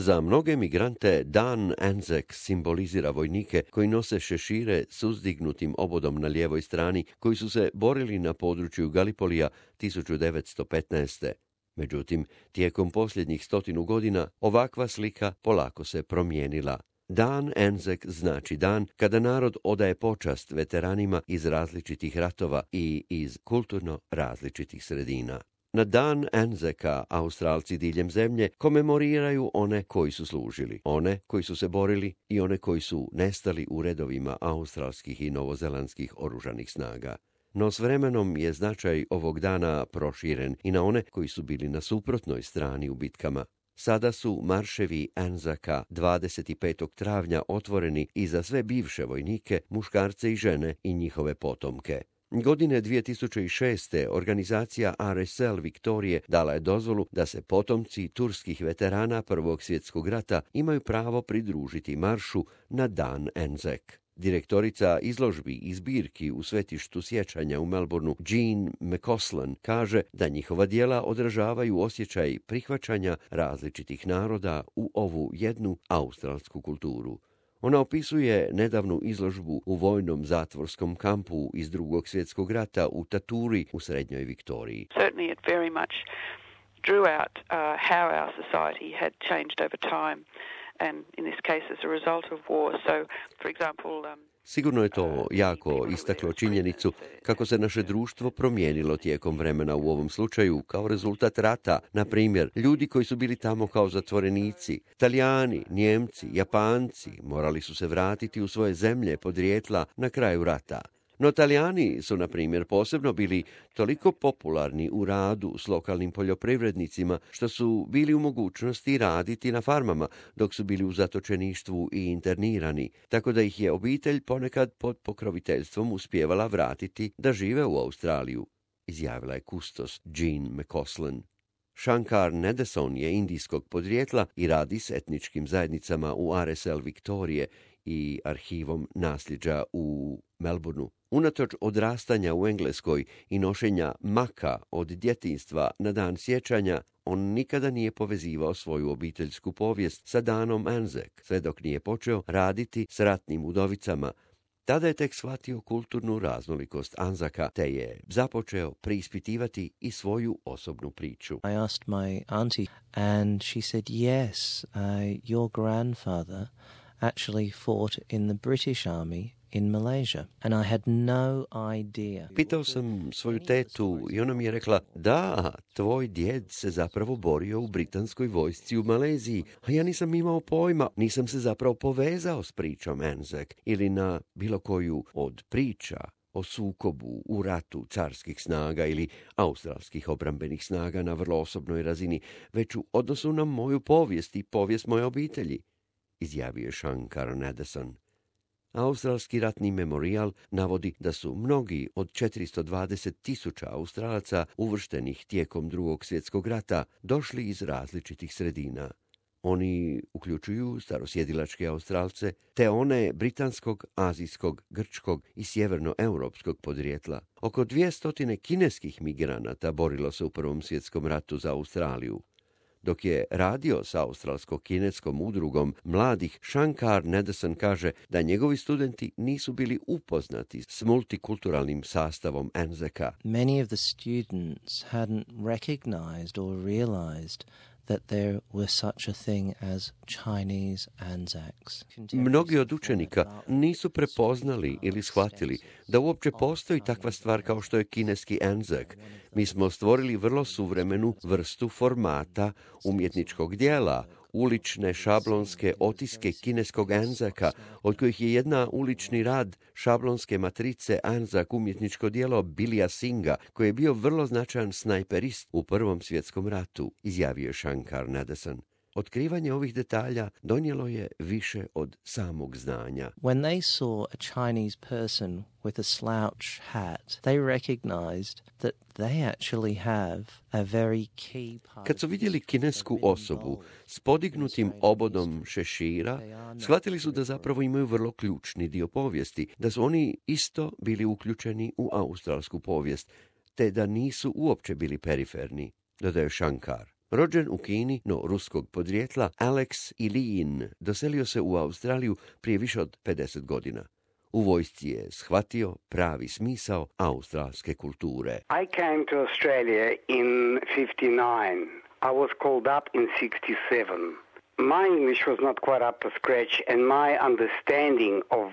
Za mnoge migrante Dan Anzac simbolizira vojnike koji nose šešire s uzdignutim obodom na lijevoj strani, koji su se borili na području Galipolija 1915. Međutim, tijekom posljednjih 100 godina ovakva slika polako se promijenila. Dan Anzac znači dan kada narod odaje počast veteranima iz različitih ratova i iz kulturno različitih sredina. Na dan Anzaca Australci diljem zemlje komemoriraju one koji su služili, one koji su se borili i one koji su nestali u redovima australskih i novozelandskih oružanih snaga. No s vremenom je značaj ovog dana proširen i na one koji su bili na suprotnoj strani u bitkama. Sada su marševi Anzaca 25. travnja otvoreni i za sve bivše vojnike, muškarce i žene i njihove potomke. Godine 2006. organizacija RSL Viktorije dala je dozvolu da se potomci turskih veterana Prvog svjetskog rata imaju pravo pridružiti maršu na dan Anzac. Direktorica izložbi i zbirki u svetištu sjećanja u Melbourneu, Jean McCausland, kaže da njihova djela odražavaju osjećaj prihvaćanja različitih naroda u ovu jednu australsku kulturu. Ona opisuje nedavnu izložbu u vojnom zatvorskom kampu iz Drugog svjetskog rata u Taturi u Srednjoj Viktoriji. Certainly it very much drew out how our society had changed over time. And in this case as a result of war. So, for example, Sigurno je to jako istaklo činjenicu kako se naše društvo promijenilo tijekom vremena u ovom slučaju kao rezultat rata. Na primjer, ljudi koji su bili tamo kao zatvorenici, Talijani, Njemci, Japanci, morali su se vratiti u svoje zemlje podrijetla na kraju rata. No Talijani su, na primjer, posebno bili toliko popularni u radu s lokalnim poljoprivrednicima što su bili u mogućnosti raditi na farmama dok su bili u zatočeništvu i internirani, tako da ih je obitelj ponekad pod pokroviteljstvom uspijevala vratiti da žive u Australiju, izjavila je kustos Jean McCausland. Shankar Nadeson je indijskog podrijetla i radi s etničkim zajednicama u RSL Viktorije i arhivom nasljeđa u Melbourneu. Unatoč odrastanja u Engleskoj i nošenja maka od djetinjstva na dan sjećanja, on nikada nije povezivao svoju obiteljsku povijest sa danom Anzac, sve dok nije počeo raditi s ratnim udovicama. Tada je tek shvatio kulturnu raznolikost Anzaca, te je započeo preispitivati i svoju osobnu priču. I asked my auntie and she said, yes, your grandfather actually fought in the British Army in Malaysia, and I had no idea. Pitao sam svoju tetu i ona mi je rekla, da, tvoj djed se zapravo borio u britanskoj vojsci u Maleziji, a ja nisam imao pojma, nisam se zapravo povezao s pričom Anzac ili na bilo koju od priča o sukobu u ratu carskih snaga ili australskih obrambenih snaga na vrlo osobnoj razini, već u odnosu na moju povijest i povijest moje obitelji, izjavio je Shankar Nadeson. Australski ratni memorijal navodi da su mnogi od 420.000 Australaca uvrštenih tijekom Drugog svjetskog rata došli iz različitih sredina. Oni uključuju starosjedilačke Australce te one britanskog, azijskog, grčkog i sjevernoeuropskog podrijetla. Oko 200 kineskih migranata borilo se u Prvom svjetskom ratu za Australiju. Dok je radio s australsko-kineskom udrugom mladih, Shankar Nadeson kaže da njegovi studenti nisu bili upoznati s multikulturalnim sastavom Anzaca. Many of the students hadn't recognized or realized that there was such a thing as Chinese Anzacs. Mnogi od učenika nisu prepoznali ili shvatili da uopće postoji takva stvar kao što je kineski Anzac. Mi smo stvorili vrlo suvremenu vrstu formata umjetničkog dijela, ulične šablonske otiske kineskog Anzaca, od kojih je jedna ulični rad šablonske matrice Anzac umjetničko djelo Bilija Singa, koji je bio vrlo značajan snajperist u Prvom svjetskom ratu, izjavio Shankar Nadeson. Otkrivanje ovih detalja donijelo je više od samog znanja. When they saw a Chinese person with a slouch hat, they recognized that they actually have a very key part. Kad su vidjeli kinesku osobu s podignutim obodom šešira, shvatili su da zapravo imaju vrlo ključni dio povijesti, da su oni isto bili uključeni u australsku povijest, te da nisu uopće bili periferni, dodaje Shankar. Rođen u Kini, no ruskog podrijetla, Alex Iliin doselio se u Australiju prije više od 50 godina. U vojsci je shvatio pravi smisao australske kulture. I came to Australia in 59. I was called up in 67. My English was not quite up to scratch and my understanding of...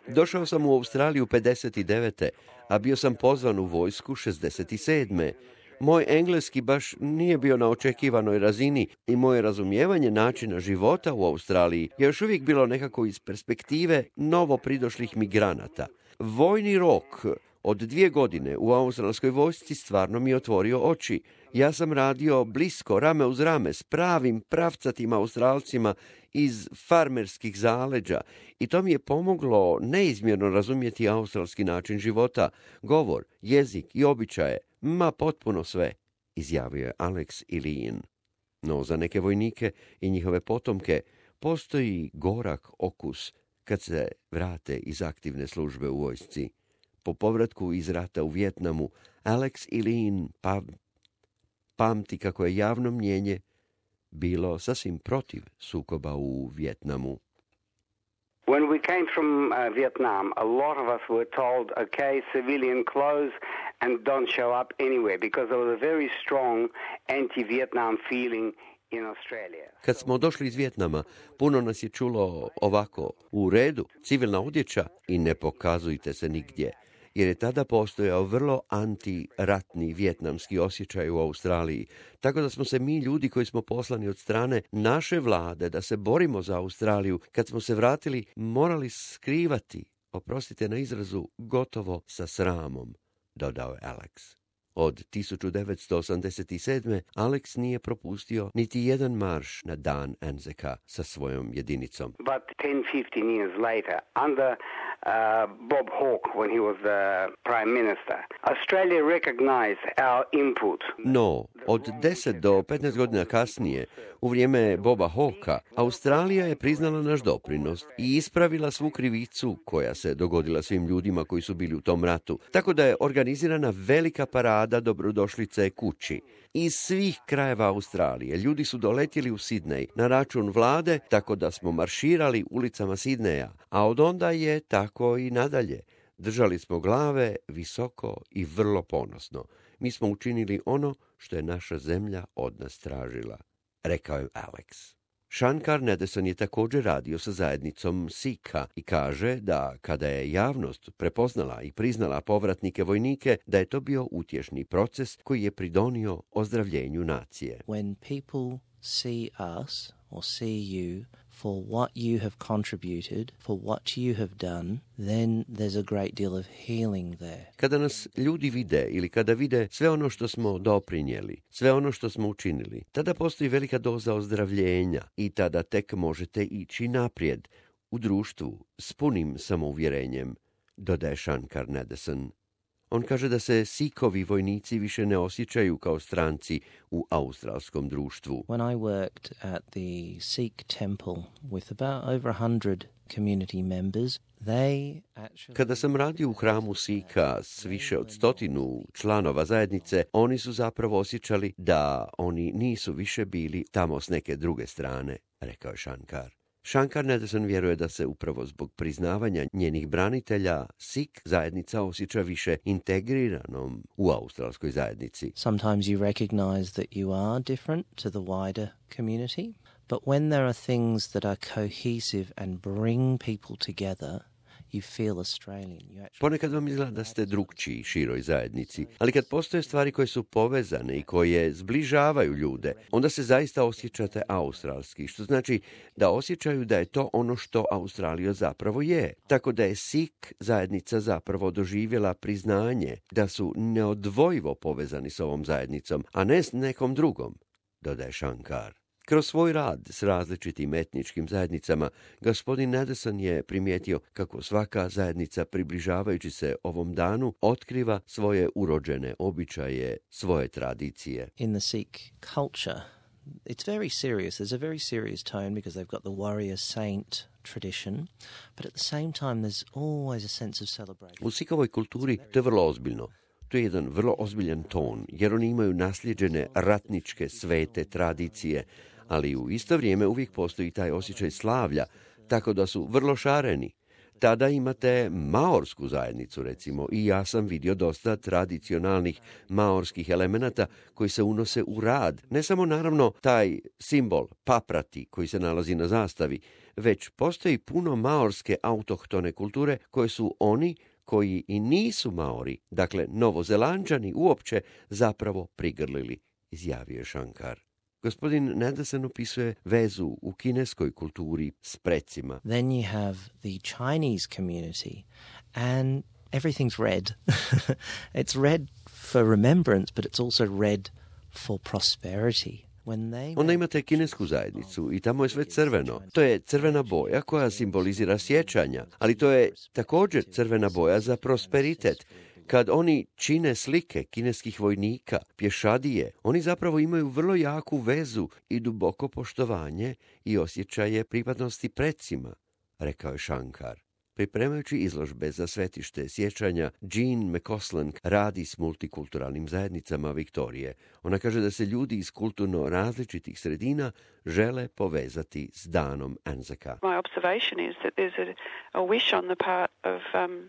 Došao sam u Australiju 59. a bio sam pozvan u vojsku 67. Moj engleski baš nije bio na očekivanoj razini i moje razumijevanje načina života u Australiji je još uvijek bilo nekako iz perspektive novo pridošlih migranata. Vojni rok od 2 godine u australskoj vojsci stvarno mi je otvorio oči. Ja sam radio blisko, rame uz rame, s pravim pravcatim Australcima iz farmerskih zaleđa i to mi je pomoglo neizmjerno razumjeti australski način života, govor, jezik i običaje, ma potpuno sve, izjavio je Alex Iliin. No za neke vojnike i njihove potomke postoji gorak okus kad se vrate iz aktivne službe u vojsci. Po povratku iz rata u Vijetnamu, Alex Iliin pamti kako je javno mnijenje bilo sasvim protiv sukoba u Vijetnamu. When we came from Vietnam, a lot of us were told, okay, civilian clothes and don't show up anywhere, because there was a very strong anti-Vietnam feeling in Australia. Kad smo došli iz Vijetnama, puno nas je čulo ovako, u redu, civilna odjeća i ne pokazujte se nigdje, jer je tada postojao vrlo antiratni vijetnamski osjećaj u Australiji, tako da smo se mi ljudi koji smo poslani od strane naše vlade da se borimo za Australiju, kad smo se vratili, morali skrivati, oprostite na izrazu, gotovo sa sramom, dodao je Alex. Od 1987. Alex nije propustio niti jedan marš na dan Anzaca sa svojom jedinicom. But 10-15 years later, under Bob Hawke, when he was the Prime Minister, Australia recognized our input. No, od 10 do 15 godina kasnije, u vrijeme Boba Hawka, Australija je priznala naš doprinos i ispravila svu krivicu koja se dogodila svim ljudima koji su bili u tom ratu. Tako da je organizirana velika parada dobrodošlice kući. Iz svih krajeva Australije ljudi su doletjeli u Sidnej na račun vlade, tako da smo marširali ulicama Sidneja, a od onda je tako i nadalje. Držali smo glave visoko i vrlo ponosno. Mi smo učinili ono što je naša zemlja od nas tražila, rekao je Alex. Shankar Nedeson je također radio sa zajednicom Sikha i kaže da kada je javnost prepoznala i priznala povratnike vojnike, da je to bio utješni proces koji je pridonio ozdravljenju nacije. When people see us or see you for what you have contributed, for what you have done, then there's a great deal of healing there. Kada nas ljudi vide ili kada vide sve ono što smo doprinijeli, sve ono što smo učinili, tada postoji velika doza ozdravljenja i tada tek možete ići naprijed u društvu s punim samouvjerenjem, dodaje Shankar Nedeson. On kaže da se Sikhovi vojnici više ne osjećaju kao stranci u australskom društvu. When I worked at the Sikh temple with about over 100 community members, they actually... Kada sam radio u hramu Sikha s više od 100 članova zajednice, oni su zapravo osjećali da oni nisu više bili tamo s neke druge strane, rekao je Shankar. Shankar Nedeson vjeruje da se upravo zbog priznavanja njenih branitelja Sikh zajednica osjeća više integriranom u australskoj zajednici. Sometimes you recognize that you are different to the wider community, but when there are things that are cohesive and bring people together, you feel Australian. Ponekad vam izgleda da ste drukčiji široj zajednici, ali kad postoje stvari koje su povezane i koje zbližavaju ljude, onda se zaista osjećate australski, što znači da osjećaju da je to ono što Australija zapravo je. Tako da je Sikh zajednica zapravo doživjela priznanje da su neodvojivo povezani s ovom zajednicom, a ne s nekom drugom, dodaje Shankar. Kroz svoj rad s različitim etničkim zajednicama, gospodin Nedeson je primijetio kako svaka zajednica, približavajući se ovom danu, otkriva svoje urođene običaje, svoje tradicije. In the Sikh culture, it's very serious. There's a very serious tone because they've got the warrior saint tradition, but at the same time there's always a sense of celebration. U Sikhovoj kulturi to je vrlo ozbiljno. To je jedan vrlo ozbiljan ton, jer oni imaju nasljeđene ratničke svete tradicije, ali u isto vrijeme uvijek postoji taj osjećaj slavlja, tako da su vrlo šareni. Tada imate maorsku zajednicu, recimo, i ja sam vidio dosta tradicionalnih maorskih elemenata koji se unose u rad. Ne samo, naravno, taj simbol paprati koji se nalazi na zastavi, već postoji puno maorske autohtone kulture koje su oni koji i nisu Maori, dakle Novozelanđani, uopće zapravo prigrlili, izjavio je Shankar. Gospodin Nanderson opisuje vezu u kineskoj kulturi s precima. Then you have the Chinese community and everything's red. It's red for remembrance, but it's also red for prosperity. Onda imate kinesku zajednicu i tamo je sve crveno. To je crvena boja koja simbolizira sjećanja, ali to je također crvena boja za prosperitet. Kad oni čine slike kineskih vojnika, pješadije, oni zapravo imaju vrlo jaku vezu i duboko poštovanje i osjećaje pripadnosti precima, rekao je Shankar. Pripremajući izložbe za svetište sjećanja, Jean McCausland radi s multikulturalnim zajednicama Viktorije. Ona kaže da se ljudi iz kulturno različitih sredina žele povezati s danom Anzaca. My observation is that there's a wish on the part of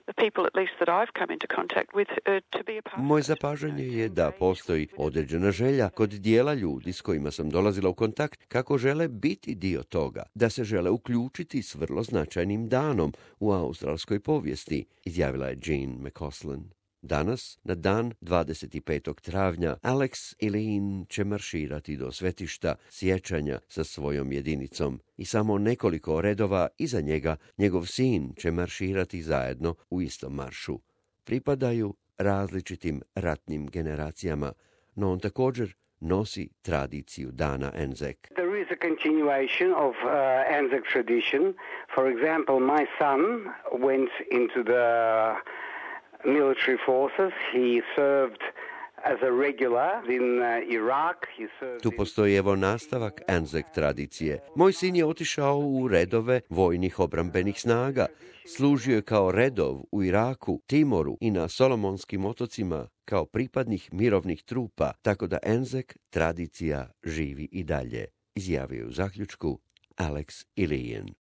the people, at least that I've come into contact with, to be a part of it. Moje zapažanje je da postoji određena želja kod dijela ljudi s kojima sam dolazila u kontakt kako žele biti dio toga, da se žele uključiti s vrlo značajnim danom u australskoj povijesti, izjavila je Jean McCausland. Danas, na dan 25. travnja, Alex Elaine će marširati do svetišta sjećanja sa svojom jedinicom i samo nekoliko redova iza njega njegov sin će marširati zajedno u istom maršu. Pripadaju različitim ratnim generacijama, no on također nosi tradiciju dana Anzac. There is a continuation of Anzac tradition. For example, my son went into the military forces. He served as a regular in Iraq. Tu postoji evo nastavak Anzac tradicije. Moj sin je otišao u redove vojnih obrambenih snaga. Služio je kao redov u Iraku, Timoru i na Solomonskim otocima kao pripadnih mirovnih trupa, tako da Anzac tradicija živi i dalje, izjavio u zaključku Alex Elaine.